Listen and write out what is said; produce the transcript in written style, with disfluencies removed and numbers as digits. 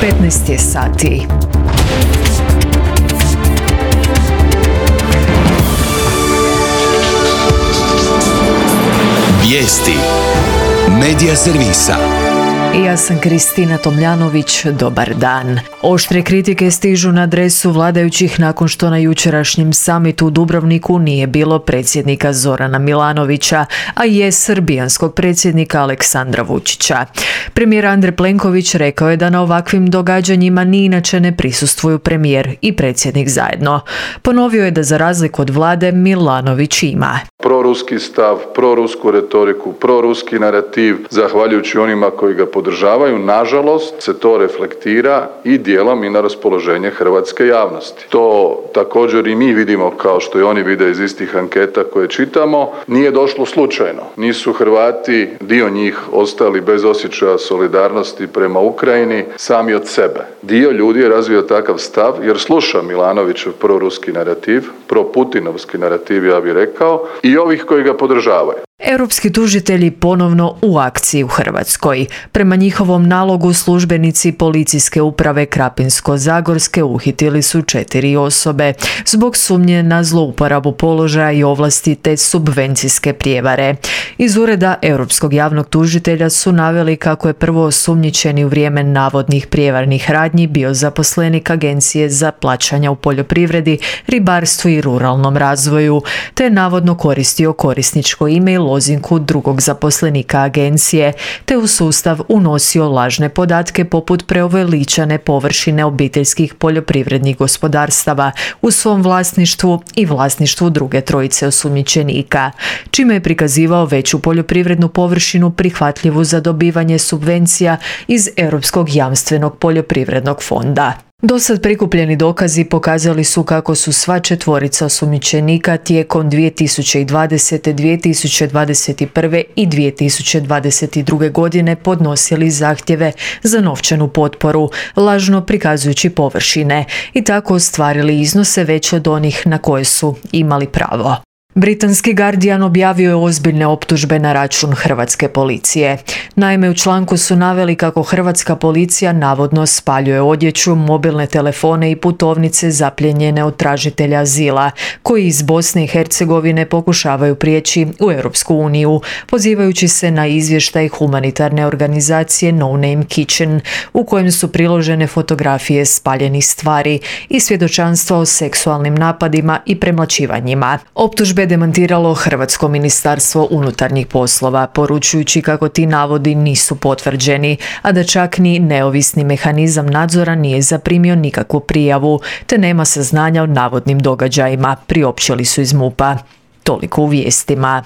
15 je sati. Vijesti Medija servisa. Ja sam Kristina Tomljanović, dobar dan. Oštre kritike stižu na adresu vladajućih nakon što na jučerašnjem samitu u Dubrovniku nije bilo predsjednika Zorana Milanovića, a je srbijanskog predsjednika Aleksandra Vučića. Premijer Andrej Plenković rekao je da na ovakvim događanjima ni inače ne prisustvuju premijer i predsjednik zajedno. Ponovio je da za razliku od vlade Milanović ima proruski stav, prorusku retoriku, proruski narativ, zahvaljujući onima koji ga podržavaju, nažalost se to reflektira i dijelom i na raspoloženje hrvatske javnosti. To također i mi vidimo, kao što i oni vide iz istih anketa koje čitamo, nije došlo slučajno. Nisu Hrvati, dio njih, ostali bez osjećaja solidarnosti prema Ukrajini sami od sebe. Dio ljudi je razvio takav stav jer sluša Milanovićev proruski narativ, proputinovski narativ, ja bih rekao, i ovih koji ga podržavaju. Europski tužitelji ponovno u akciji u Hrvatskoj. Prema njihovom nalogu službenici policijske uprave Krapinsko-zagorske uhitili su 4 osobe zbog sumnje na zlouporabu položaja i ovlasti te subvencijske prijevare. Iz ureda Europskog javnog tužitelja su naveli kako je prvo osumnjičeni u vrijeme navodnih prijevarnih radnji bio zaposlenik Agencije za plaćanja u poljoprivredi, ribarstvu i ruralnom razvoju, te je navodno koristio korisničko ime i lozinku drugog zaposlenika agencije, te u sustav unosio lažne podatke poput preuveličane površine obiteljskih poljoprivrednih gospodarstava u svom vlasništvu i vlasništvu druge trojice osumnjičenika, čime je prikazivao veću poljoprivrednu površinu prihvatljivu za dobivanje subvencija iz Europskog jamstvenog poljoprivrednog fonda. Dosad prikupljeni dokazi pokazali su kako su sva četvorica osumnjičenika tijekom 2020., 2021. i 2022. godine podnosili zahtjeve za novčanu potporu, lažno prikazujući površine i tako ostvarili iznose veće od onih na koje su imali pravo. Britanski Guardian objavio je ozbiljne optužbe na račun hrvatske policije. Naime, u članku su naveli kako hrvatska policija navodno spaljuje odjeću, mobilne telefone i putovnice zaplijenjene od tražitelja azila, koji iz Bosne i Hercegovine pokušavaju prijeći u Europsku uniju, pozivajući se na izvještaj humanitarne organizacije No Name Kitchen, u kojem su priložene fotografije spaljenih stvari i svjedočanstva o seksualnim napadima i premlaćivanjima. Optužbe demantiralo Hrvatsko ministarstvo unutarnjih poslova, poručujući kako ti navodi nisu potvrđeni, a da čak ni neovisni mehanizam nadzora nije zaprimio nikakvu prijavu, te nema saznanja o navodnim događajima, priopćili su iz MUP-a. Toliko u vijestima.